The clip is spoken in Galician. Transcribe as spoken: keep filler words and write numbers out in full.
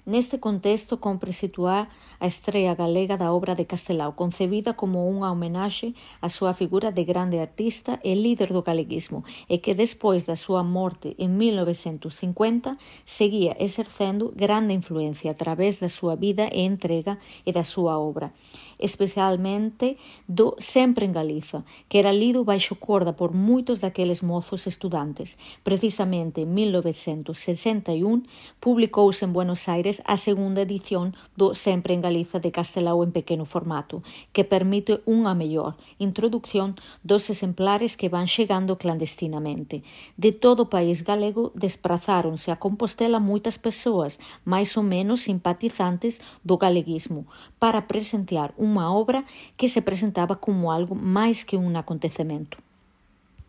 Neste contexto, compre situar a estrea galega da obra de Castelao, concebida como unha homenaxe á súa figura de grande artista e líder do galeguismo, e que despois da súa morte en mil novecentos cincuenta seguía exercendo grande influencia a través da súa vida e entrega e da súa obra, especialmente do Sempre en Galiza, que era lido baixo corda por moitos daqueles mozos estudantes. Precisamente en mil novecentos sesenta e un publicouse en Buenos Aires a segunda edición do Sempre en Galiza de Castelao en pequeno formato, que permite unha mellor introducción dos exemplares que van chegando clandestinamente. De todo o país galego desprazáronse a Compostela moitas persoas, máis ou menos simpatizantes do galeguismo, para presenciar unha obra que se presentaba como algo máis que un acontecemento.